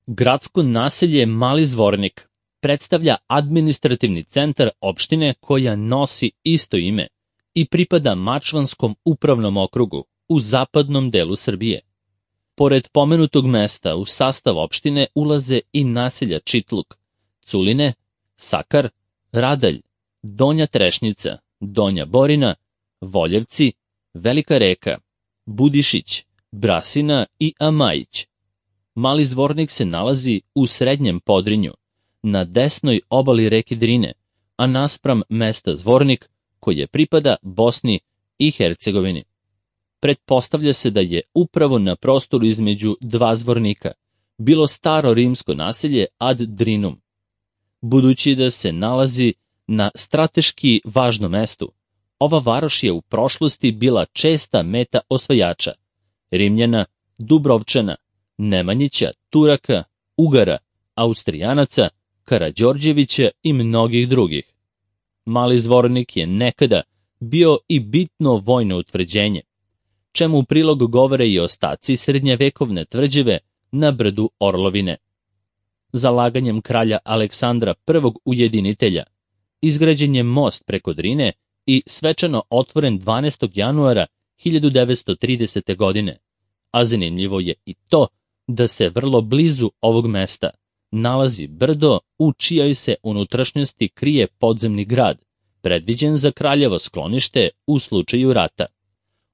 Gradsko naselje Mali Zvornik predstavlja administrativni centar opštine koja nosi isto ime i pripada Mačvanskom upravnom okrugu u zapadnom delu Srbije. Pored pomenutog mesta u sastav opštine ulaze i naselja Čitluk, Culine, Sakar, Radalj, Donja Trešnjica, Donja Borina, Voljevci, Velika Reka, Budišić, Brasina i Amajić. Mali Zvornik se nalazi u srednjem Podrinju, na desnoj obali reke Drine, a naspram mesta Zvornik, koje pripada Bosni i Hercegovini. Pretpostavlja se da je upravo na prostoru između dva zvornika bilo staro rimsko naselje ad Drinum. Budući da se nalazi na strateški važnom mestu, ova varoš je u prošlosti bila česta meta osvajača, Rimljana, Dubrovčana, Nemanjića, Turaka, Ugara, Austrijanaca, Karađorđevića i mnogih drugih. Mali Zvornik je nekada bio i bitno vojno utvrđenje, čemu u prilog govore i ostaci srednjevekovne tvrđave na brdu Orlovine. Zalaganjem kralja Aleksandra I ujedinitelja izgrađen je most preko Drine i svečano otvoren 12. januara 1930. godine, a zanimljivo je i to da se vrlo blizu ovog mesta nalazi brdo u čijoj se unutrašnjosti krije podzemni grad, predviđen za kraljevo sklonište u slučaju rata.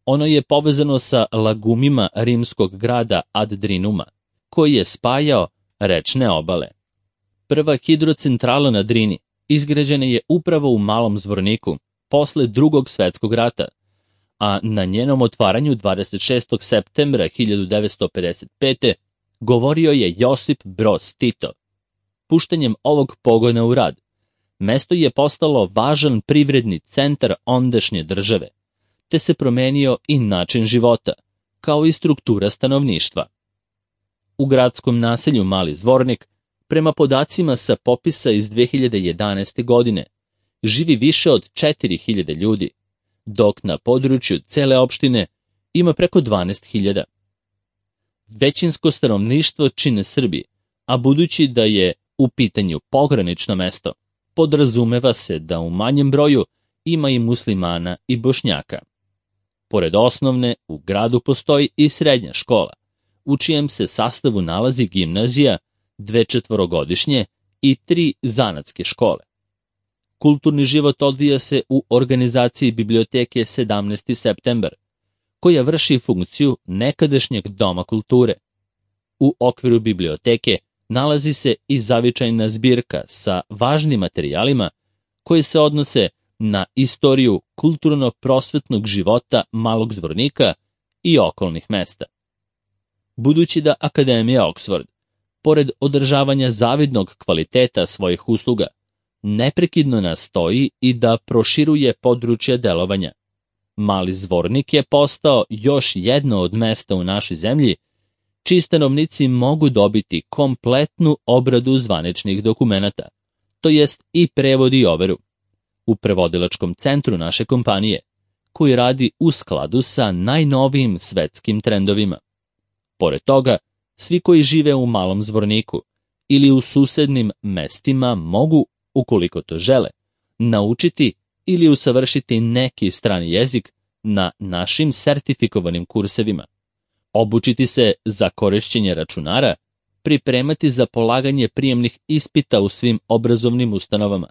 Ono je povezano sa lagumima rimskog grada ad Drinuma, koji je spajao rečne obale. Prva hidrocentrala na Drini izgrađena je upravo u Malom Zvorniku posle Drugog svetskog rata, a na njenom otvaranju 26. septembra 1955. govorio je Josip Broz Tito. Puštanjem ovog pogona u rad, mesto je postalo važan privredni centar ondašnje države, te se promenio i način života, kao i struktura stanovništva. U gradskom naselju Mali Zvornik, prema podacima sa popisa iz 2011. godine, živi više od 4000 ljudi, dok na području cele opštine ima preko 12.000. Većinsko stanovništvo čine Srbi, a budući da je u pitanju pogranično mesto, podrazumeva se da u manjem broju ima i muslimana i Bošnjaka. Pored osnovne, u gradu postoji i srednja škola, u čijem se sastavu nalazi gimnazija, 2 četvorogodišnje i 3 zanatske škole. Kulturni život odvija se u organizaciji biblioteke 17. septembar, koja vrši funkciju nekadašnjeg doma kulture. U okviru biblioteke nalazi se i zavičajna zbirka sa važnim materijalima koji se odnose na istoriju kulturno-prosvetnog života Malog Zvornika i okolnih mesta. Budući da Akademija Oxford, pored održavanja zavidnog kvaliteta svojih usluga, neprekidno nastoji i da proširuje područje delovanja, Mali Zvornik je postao još jedno od mesta u našoj zemlji čiji stanovnici mogu dobiti kompletnu obradu zvaničnih dokumenata, to jest i prevod i overu, u prevodilačkom centru naše kompanije, koji radi u skladu sa najnovijim svetskim trendovima. Pored toga, svi koji žive u Malom Zvorniku ili u susednim mestima mogu, ukoliko to žele, naučiti ili usavršiti neki strani jezik na našim sertifikovanim kursevima, obučiti se za korišćenje računara, pripremati za polaganje prijemnih ispita u svim obrazovnim ustanovama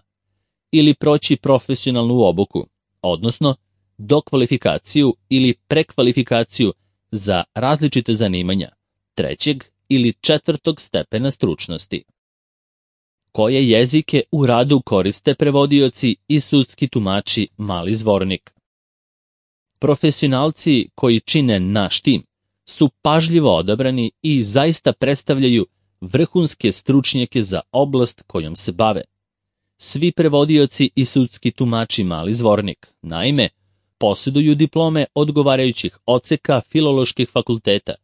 ili proći profesionalnu obuku, odnosno dokvalifikaciju ili prekvalifikaciju za različite zanimanja 3. ili 4. stepena stručnosti. Koje jezike u radu koriste prevodioci i sudski tumači Mali Zvornik? Profesionalci koji čine naš tim su pažljivo odabrani i zaista predstavljaju vrhunske stručnjake za oblast kojom se bave. Svi prevodioci i sudski tumači Mali Zvornik, naime, posjeduju diplome odgovarajućih odseka filoloških fakulteta,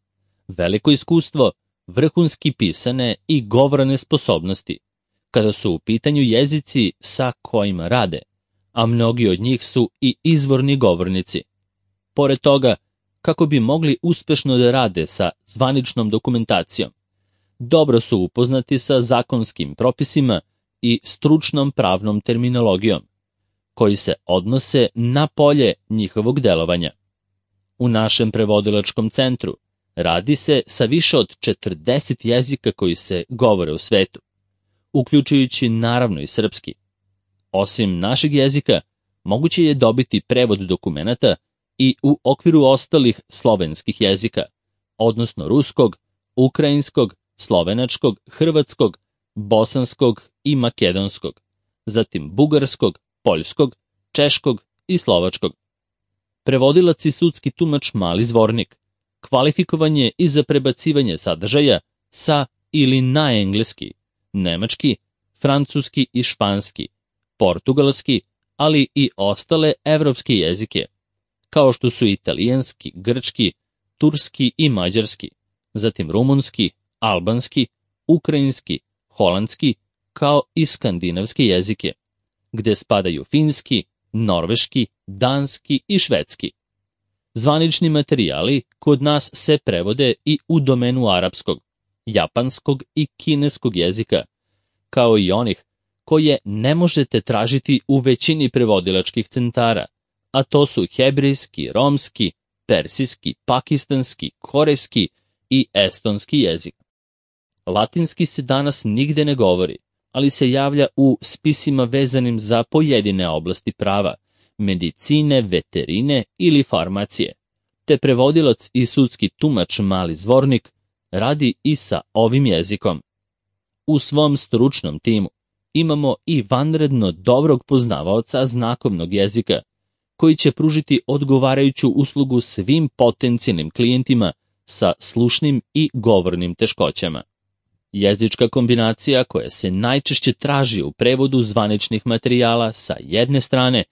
veliko iskustvo, vrhunski pisane i govorne sposobnosti, kada su u pitanju jezici sa kojima rade, a mnogi od njih su i izvorni govornici. Pored toga, kako bi mogli uspešno da rade sa zvaničnom dokumentacijom, dobro su upoznati sa zakonskim propisima i stručnom pravnom terminologijom, koji se odnose na polje njihovog delovanja. U našem prevodilačkom centru radi se sa više od 40 jezika koji se govore u svetu, uključujući naravno i srpski. Osim našeg jezika, moguće je dobiti prevod dokumenata i u okviru ostalih slovenskih jezika, odnosno ruskog, ukrajinskog, slovenačkog, hrvatskog, bosanskog i makedonskog, zatim bugarskog, poljskog, češkog i slovačkog. Prevodilac i sudski tumač mali zvornik kvalifikovan je i za prebacivanje sadržaja sa ili na engleski, nemački, francuski i španski, portugalski, ali i ostale evropske jezike, kao što su italijanski, grčki, turski i mađarski, zatim rumunski, albanski, ukrajinski, holandski, kao i skandinavske jezike, gde spadaju finski, norveški, danski i švedski. Zvanični materijali kod nas se prevode i u domenu arapskog, japanskog i kineskog jezika, kao i onih koje ne možete tražiti u većini prevodilačkih centara, a to su hebrejski, romski, persijski, pakistanski, korejski i estonski jezik. Latinski se danas nigde ne govori, ali se javlja u spisima vezanim za pojedine oblasti prava, medicine, veterine ili farmacije, te prevodilac i sudski tumač mali zvornik radi i sa ovim jezikom. U svom stručnom timu imamo i vanredno dobrog poznavaoca znakovnog jezika, koji će pružiti odgovarajuću uslugu svim potencijalnim klijentima sa slušnim i govornim teškoćama. Jezička kombinacija koja se najčešće traži u prevodu zvaničnih materijala sa jedne strane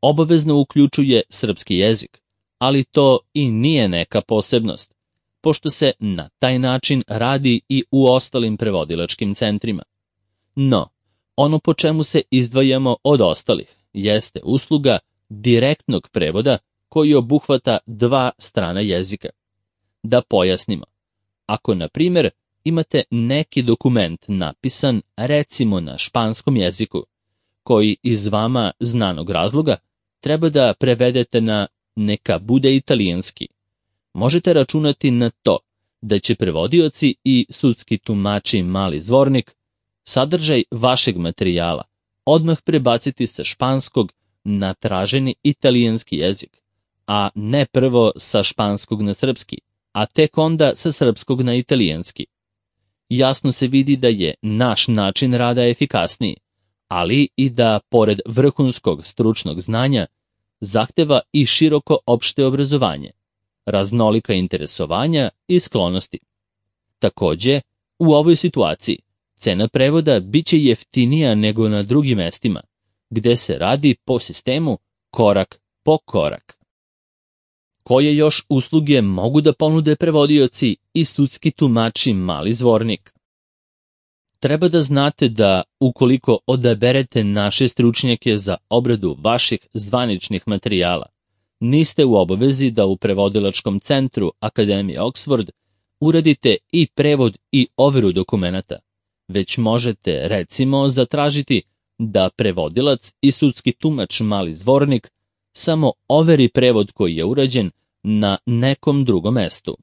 obavezno uključuje srpski jezik, ali to i nije neka posebnost, pošto se na taj način radi i u ostalim prevodilačkim centrima. No, ono po čemu se izdvajamo od ostalih jeste usluga direktnog prevoda koji obuhvata dva strana jezika. Da pojasnimo, ako na primjer imate neki dokument napisan recimo na španskom jeziku, koji iz vama znanog razloga treba da prevedete na neka bude italijanski, možete računati na to da će prevodioci i sudski tumači mali zvornik sadržaj vašeg materijala odmah prebaciti sa španskog na traženi italijanski jezik, a ne prvo sa španskog na srpski, a tek onda sa srpskog na italijanski. Jasno se vidi da je naš način rada efikasniji, ali i da, pored vrhunskog stručnog znanja, zahteva i široko opšte obrazovanje, raznolika interesovanja i sklonosti. Takođe, u ovoj situaciji cena prevoda biće jeftinija nego na drugim mestima, gde se radi po sistemu korak po korak. Koje još usluge mogu da ponude prevodioci i sudski tumači mali zvornik? Treba da znate da ukoliko odaberete naše stručnjake za obradu vaših zvaničnih materijala, niste u obavezi da u prevodilačkom centru Akademije Oxford uradite i prevod i overu dokumenata, već možete recimo zatražiti da prevodilac i sudski tumač mali zvornik samo overi prevod koji je urađen na nekom drugom mestu.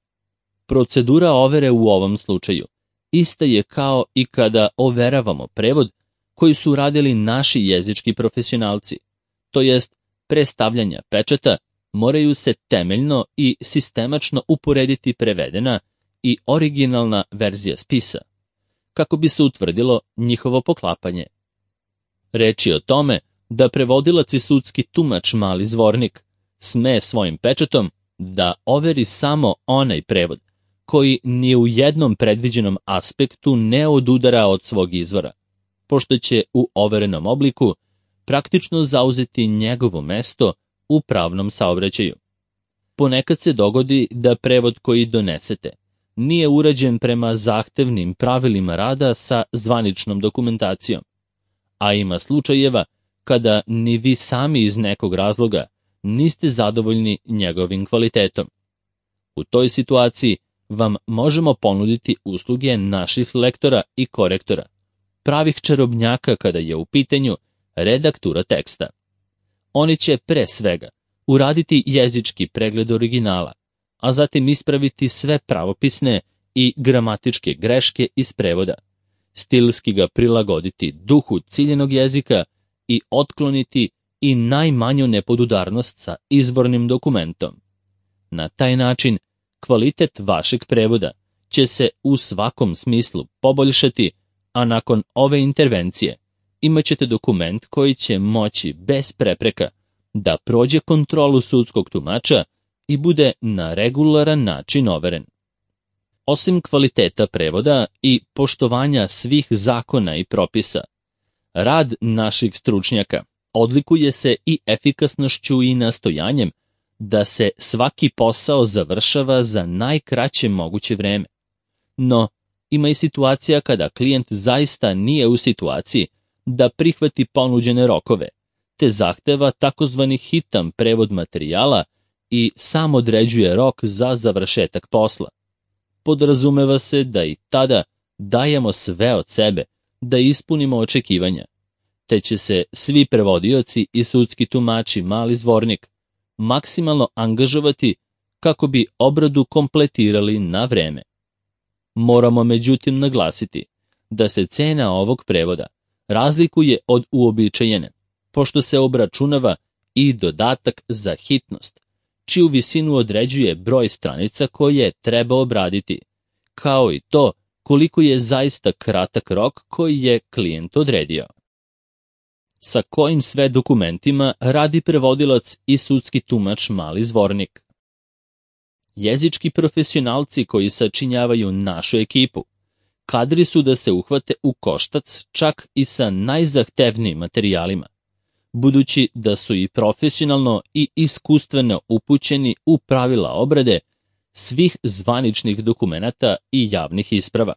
Procedura overe u ovom slučaju ista je kao i kada overavamo prevod koji su radili naši jezički profesionalci, to jest pre stavljanja pečata moraju se temeljno i sistemačno uporediti prevedena i originalna verzija spisa, kako bi se utvrdilo njihovo poklapanje. Reč je o tome da prevodilac i sudski tumač mali zvornik sme svojim pečatom da overi samo onaj prevod koji ni u jednom predviđenom aspektu ne odudara od svog izvora, pošto će u overenom obliku praktično zauzeti njegovo mesto u pravnom saobraćaju. Ponekad se dogodi da prevod koji donesete nije urađen prema zahtevnim pravilima rada sa zvaničnom dokumentacijom, a ima slučajeva kada ni vi sami iz nekog razloga niste zadovoljni njegovim kvalitetom. U toj situaciji vam možemo ponuditi usluge naših lektora i korektora, pravih čarobnjaka kada je u pitanju redaktura teksta. Oni će pre svega uraditi jezički pregled originala, a zatim ispraviti sve pravopisne i gramatičke greške iz prevoda, stilski ga prilagoditi duhu ciljenog jezika i otkloniti i najmanju nepodudarnost sa izvornim dokumentom. Na taj način kvalitet vašeg prevoda će se u svakom smislu poboljšati, a nakon ove intervencije imaćete dokument koji će moći bez prepreka da prođe kontrolu sudskog tumača i bude na regularan način overen. Osim kvaliteta prevoda i poštovanja svih zakona i propisa, rad naših stručnjaka odlikuje se i efikasnošću i nastojanjem da se svaki posao završava za najkraće moguće vreme. No, ima i situacija kada klijent zaista nije u situaciji da prihvati ponuđene rokove, te zahteva takozvani hitan prevod materijala i sam određuje rok za završetak posla. Podrazumeva se da i tada dajemo sve od sebe da ispunimo očekivanja, te će se svi prevodioci i sudski tumači mali zvornik maksimalno angažovati kako bi obradu kompletirali na vreme. Moramo međutim naglasiti da se cena ovog prevoda razlikuje od uobičajene, pošto se obračunava i dodatak za hitnost, čiju visinu određuje broj stranica koje treba obraditi, kao i to koliko je zaista kratak rok koji je klijent odredio. Sa kojim sve dokumentima radi prevodilac i sudski tumač mali zvornik? Jezički profesionalci koji sačinjavaju našu ekipu kadri su da se uhvate u koštac čak i sa najzahtevnijim materijalima, budući da su i profesionalno i iskustveno upućeni u pravila obrade svih zvaničnih dokumenata i javnih isprava.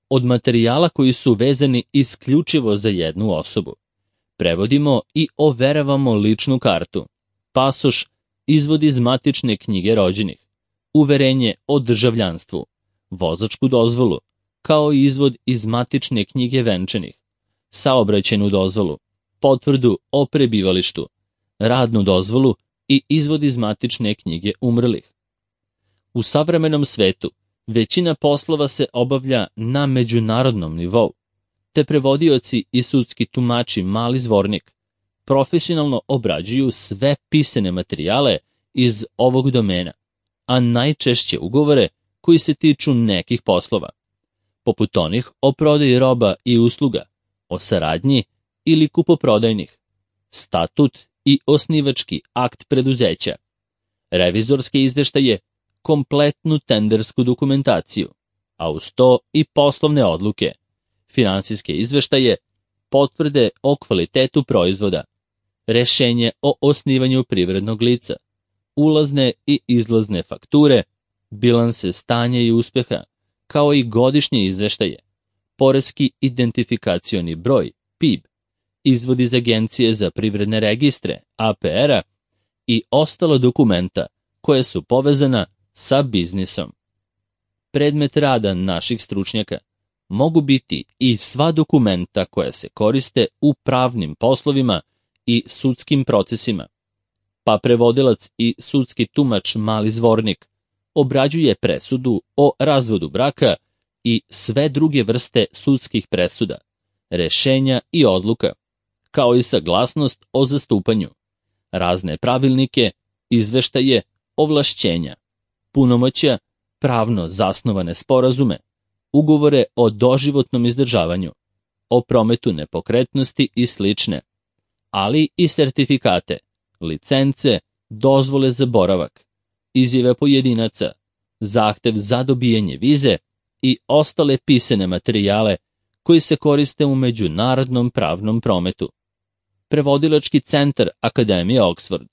Od materijala koji su vezani isključivo za jednu osobu prevodimo i overavamo ličnu kartu, pasoš, izvod iz matične knjige rođenih, uverenje o državljanstvu, vozačku dozvolu, kao i izvod iz matične knjige venčanih, saobraćajnu dozvolu, potvrdu o prebivalištu, radnu dozvolu i izvod iz matične knjige umrlih. U savremenom svetu većina poslova se obavlja na međunarodnom nivou, te prevodioci i sudski tumači mali zvornik profesionalno obrađuju sve pisane materijale iz ovog domena, a najčešće ugovore koji se tiču nekih poslova, poput onih o prodaji roba i usluga, o saradnji ili kupoprodajnih, statut i osnivački akt preduzeća, revizorske izveštaje, kompletnu tendersku dokumentaciju, a uz to i poslovne odluke, finansijske izveštaje, potvrde o kvalitetu proizvoda, rešenje o osnivanju privrednog lica, ulazne i izlazne fakture, bilanse stanja i uspeha, kao i godišnje izveštaje, poreski identifikacioni broj, PIB, izvod iz Agencije za privredne registre, APR-a i ostala dokumenta koje su povezana sa biznisom. Predmet rada naših stručnjaka mogu biti i sva dokumenta koja se koriste u pravnim poslovima i sudskim procesima, pa prevodilac i sudski tumač mali zvornik obrađuje presudu o razvodu braka i sve druge vrste sudskih presuda, rešenja i odluka, kao i saglasnost o zastupanju, razne pravilnike, izveštaje, ovlašćenja, punomoćja, pravno zasnovane sporazume, ugovore o doživotnom izdržavanju, o prometu nepokretnosti i slične, ali i sertifikate, licence, dozvole za boravak, izjave pojedinaca, zahtev za dobijanje vize i ostale pisane materijale koji se koriste u međunarodnom pravnom prometu. Prevodilački centar Akademije Oxford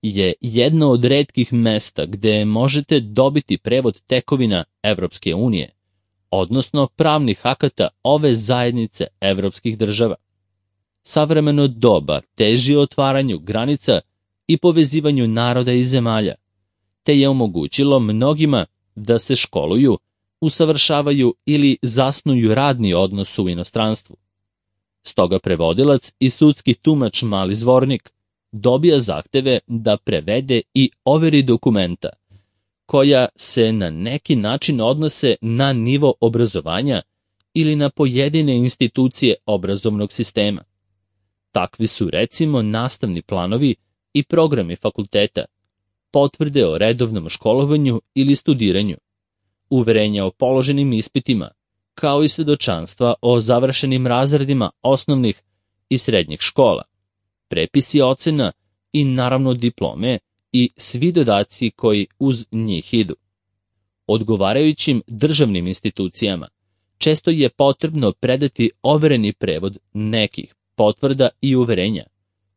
je jedno od retkih mesta gde možete dobiti prevod tekovina Evropske unije, odnosno pravnih akata ove zajednice evropskih država. Savremeno doba teži otvaranju granica i povezivanju naroda i zemalja, te je omogućilo mnogima da se školuju, usavršavaju ili zasnuju radni odnos u inostranstvu. Stoga prevodilac i sudski tumač mali zvornik dobija zahteve da prevede i overi dokumenta, koja se na neki način odnose na nivo obrazovanja ili na pojedine institucije obrazovnog sistema. Takvi su recimo nastavni planovi i programi fakulteta, potvrde o redovnom školovanju ili studiranju, uverenja o položenim ispitima, kao i svedočanstva o završenim razredima osnovnih i srednjih škola, prepisi ocena i naravno diplome i svi dodaci koji uz njih idu. Odgovarajućim državnim institucijama često je potrebno predati overeni prevod nekih potvrda i uverenja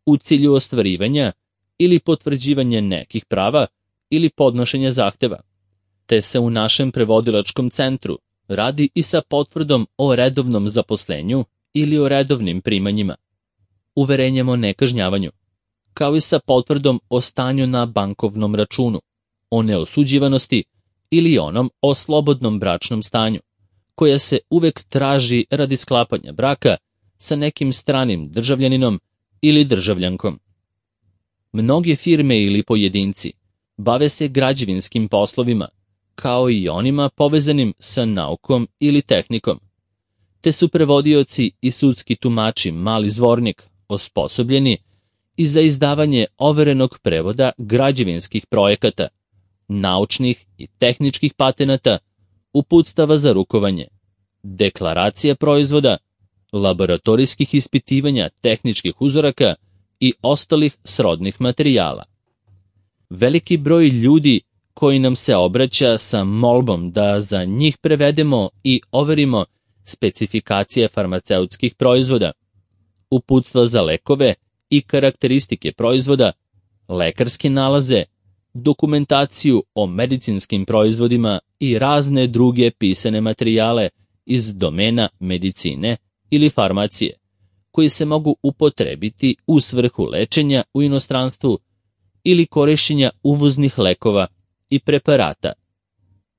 u cilju ostvarivanja ili potvrđivanja nekih prava ili podnošenja zahteva, te se u našem prevodilačkom centru radi i sa potvrdom o redovnom zaposlenju ili o redovnim primanjima, uverenjem o nekažnjavanju, kao i sa potvrdom o stanju na bankovnom računu, o neosuđivanosti ili onom o slobodnom bračnom stanju, koja se uvek traži radi sklapanja braka sa nekim stranim državljaninom ili državljankom. Mnoge firme ili pojedinci bave se građevinskim poslovima, kao i onima povezanim sa naukom ili tehnikom, te su prevodioci i sudski tumači mali zvornik osposobljeni i za izdavanje overenog prevoda građevinskih projekata, naučnih i tehničkih patenata, uputstava za rukovanje, deklaracija proizvoda, laboratorijskih ispitivanja tehničkih uzoraka i ostalih srodnih materijala. Veliki broj ljudi koji nam se obraća sa molbom da za njih prevedemo i overimo specifikacije farmaceutskih proizvoda, uputstva za lekove i karakteristike proizvoda, lekarske nalaze, dokumentaciju o medicinskim proizvodima i razne druge pisane materijale iz domena medicine ili farmacije, koji se mogu upotrebiti u svrhu lečenja u inostranstvu ili korišćenja uvoznih lekova i preparata.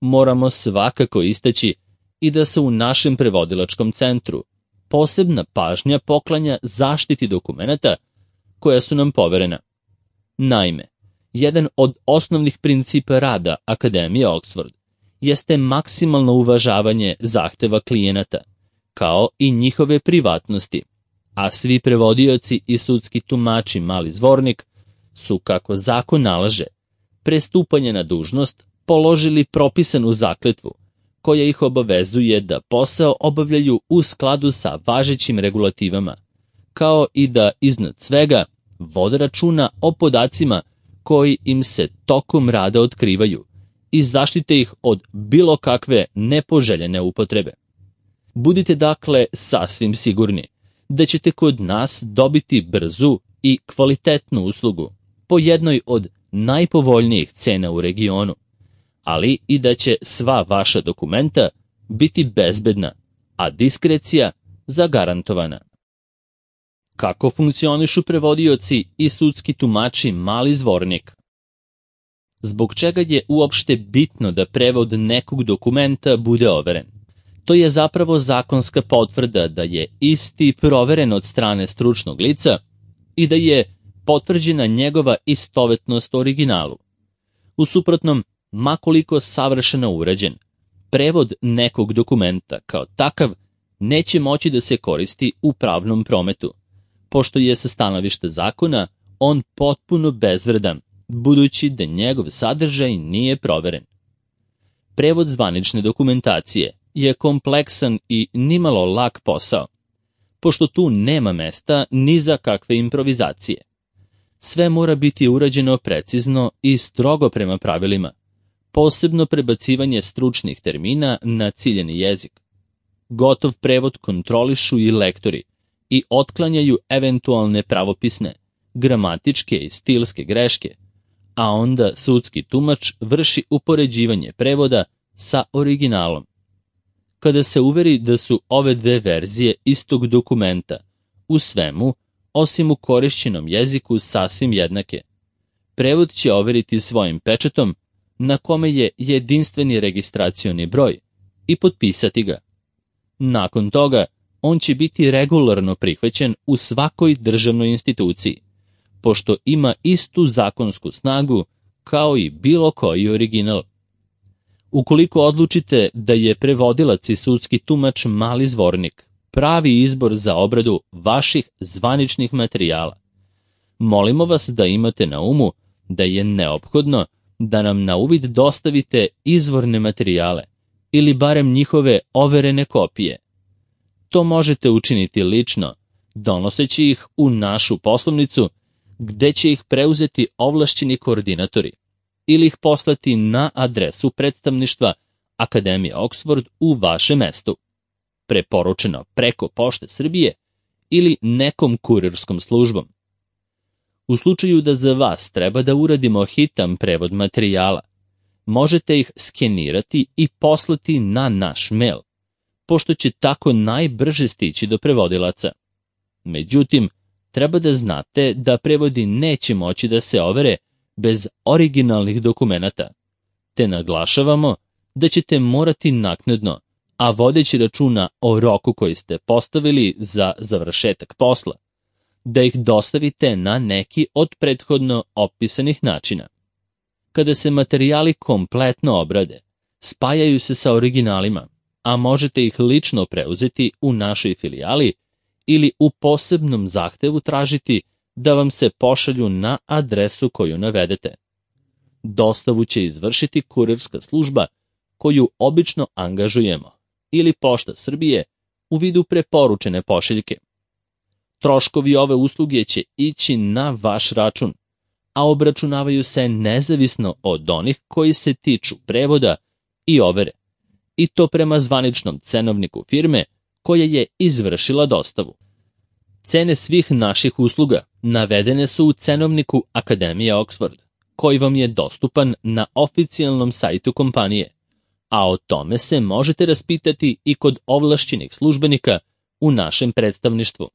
Moramo svakako istaći i da se u našem prevodilačkom centru posebna pažnja poklanja zaštiti dokumenata koja su nam poverena. Naime, jedan od osnovnih principa rada Akademije Oxford jeste maksimalno uvažavanje zahteva klijenata, kao i njihove privatnosti, a svi prevodioci i sudski tumači mali zvornik su, kako zakon nalaže, pre stupanja na dužnost položili propisanu zakletvu, koja ih obavezuje da posao obavljaju u skladu sa važećim regulativama, kao i da iznad svega vode računa o podacima koji im se tokom rada otkrivaju i zaštite ih od bilo kakve nepoželjene upotrebe. Budite dakle sasvim sigurni da ćete kod nas dobiti brzu i kvalitetnu uslugu po jednoj od najpovoljnijih cena u regionu, ali i da će sva vaša dokumenta biti bezbedna, a diskrecija zagarantovana. Kako funkcionišu prevodioci i sudski tumači mali zvornik? Zbog čega je uopšte bitno da prevod nekog dokumenta bude overen? To je zapravo zakonska potvrda da je isti proveren od strane stručnog lica i da je potvrđena njegova istovetnost originalu. U suprotnom, makoliko savršeno urađen, prevod nekog dokumenta kao takav neće moći da se koristi u pravnom prometu, pošto je sa stanovišta zakona on potpuno bezvredan, budući da njegov sadržaj nije proveren. Prevod zvanične dokumentacije je kompleksan i nimalo lak posao, pošto tu nema mesta ni za kakve improvizacije. Sve mora biti urađeno precizno i strogo prema pravilima, posebno prebacivanje stručnih termina na ciljeni jezik. Gotov prevod kontrolišu i lektori i otklanjaju eventualne pravopisne, gramatičke i stilske greške, a onda sudski tumač vrši upoređivanje prevoda sa originalom. Kada se uveri da su ove dve verzije istog dokumenta u svemu, osim u korišćenom jeziku, sasvim jednake, prevod će overiti svojim pečatom na kome je jedinstveni registracioni broj i potpisati ga. Nakon toga, on će biti regularno prihvaćen u svakoj državnoj instituciji, pošto ima istu zakonsku snagu kao i bilo koji original. Ukoliko odlučite da je prevodilac i sudski tumač mali zvornik pravi izbor za obradu vaših zvaničnih materijala, molimo vas da imate na umu da je neophodno da nam na uvid dostavite izvorne materijale ili barem njihove overene kopije. To možete učiniti lično, donoseći ih u našu poslovnicu, gde će ih preuzeti ovlašćeni koordinatori ili ih poslati na adresu predstavništva Akademije Oxford u vašem mestu, preporučeno preko Pošte Srbije ili nekom kurirskom službom. U slučaju da za vas treba da uradimo hitan prevod materijala, možete ih skenirati i poslati na naš mail, pošto će tako najbrže stići do prevodilaca. Međutim, treba da znate da prevodi neće moći da se overe bez originalnih dokumenata, te naglašavamo da ćete morati naknadno, a vodeći računa o roku koji ste postavili za završetak posla, da ih dostavite na neki od prethodno opisanih načina. Kada se materijali kompletno obrade, spajaju se sa originalima, a možete ih lično preuzeti u našoj filijali ili u posebnom zahtevu tražiti da vam se pošalju na adresu koju navedete. Dostavu će izvršiti kurirska služba koju obično angažujemo ili Pošta Srbije u vidu preporučene pošiljke. Troškovi ove usluge će ići na vaš račun, a obračunavaju se nezavisno od onih koji se tiču prevoda i overe, i to prema zvaničnom cenovniku firme koja je izvršila dostavu. Cene svih naših usluga navedene su u cenovniku Akademije Oxford, koji vam je dostupan na oficijalnom sajtu kompanije, a o tome se možete raspitati i kod ovlašćenih službenika u našem predstavništvu.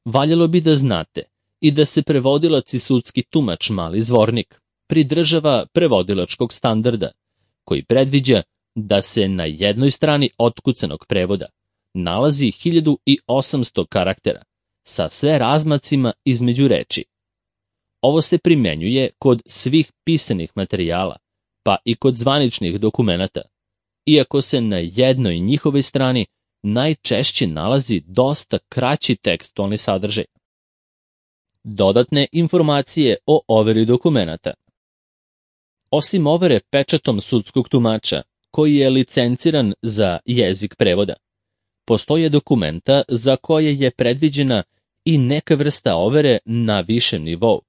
Valjalo bi da znate i da se prevodilac i sudski tumač mali zvornik pridržava prevodilačkog standarda, koji predviđa da se na jednoj strani otkucanog prevoda nalazi 1800 karaktera sa sve razmacima između reči. Ovo se primenjuje kod svih pisanih materijala, pa i kod zvaničnih dokumenata, iako se na jednoj njihovoj strani najčešće nalazi dosta kraći tekstualni sadržaj. Dodatne informacije o overi dokumenata. Osim overe pečatom sudskog tumača, koji je licenciran za jezik prevoda, postoje dokumenta za koje je predviđena i neka vrsta overe na višem nivou.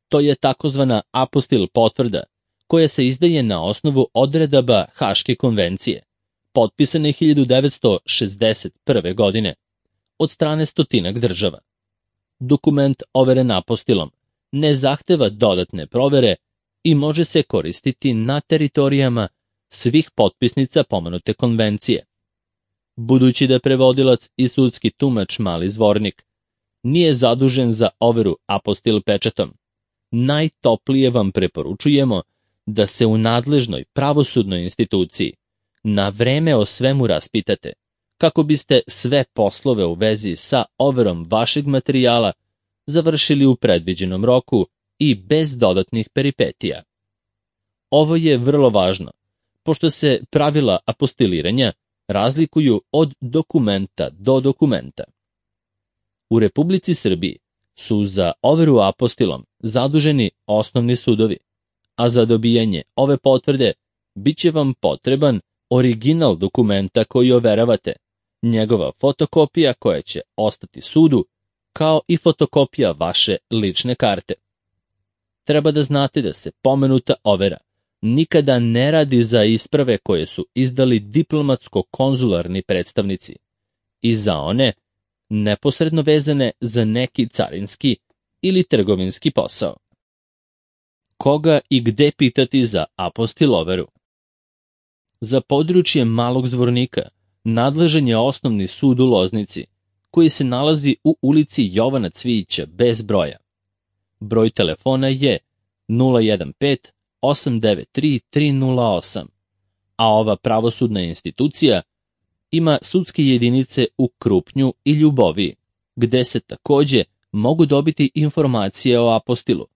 To je takozvana apostil potvrda, koja se izdaje na osnovu odredaba Haške konvencije, potpisane 1961. godine od strane 100 država. Dokument overen apostilom ne zahteva dodatne provere i može se koristiti na teritorijama svih potpisnica pomenute konvencije. Budući da prevodilac i sudski tumač mali zvornik nije zadužen za overu apostil pečatom, najtoplije vam preporučujemo da se u nadležnoj pravosudnoj instituciji na vreme o svemu raspitate, kako biste sve poslove u vezi sa overom vašeg materijala završili u predviđenom roku i bez dodatnih peripetija. Ovo je vrlo važno, pošto se pravila apostiliranja razlikuju od dokumenta do dokumenta. U Republici Srbiji su za overu apostilom zaduženi osnovni sudovi, a za dobijanje ove potvrde bit će vam potreban original dokumenta koji overavate, njegova fotokopija koja će ostati sudu, kao i fotokopija vaše lične karte. Treba da znate da se pomenuta overa nikada ne radi za isprave koje su izdali diplomatsko-konzularni predstavnici i za one neposredno vezane za neki carinski ili trgovinski posao. Koga i gde pitati za apostil overu? Za područje Malog Zvornika nadležan je Osnovni sud u Loznici, koji se nalazi u ulici Jovana Cvijića bez broja. Broj telefona je 015 893-308, a ova pravosudna institucija ima sudske jedinice u Krupnju i Ljuboviji, gde se takođe mogu dobiti informacije o apostilu.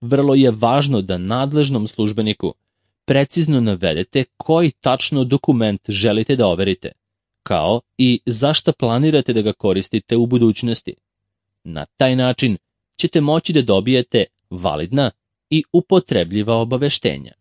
Vrlo je važno da nadležnom službeniku precizno navedete koji tačno dokument želite da overite, kao i zašto planirate da ga koristite u budućnosti. Na taj način ćete moći da dobijete validna i upotrebljiva obaveštenja.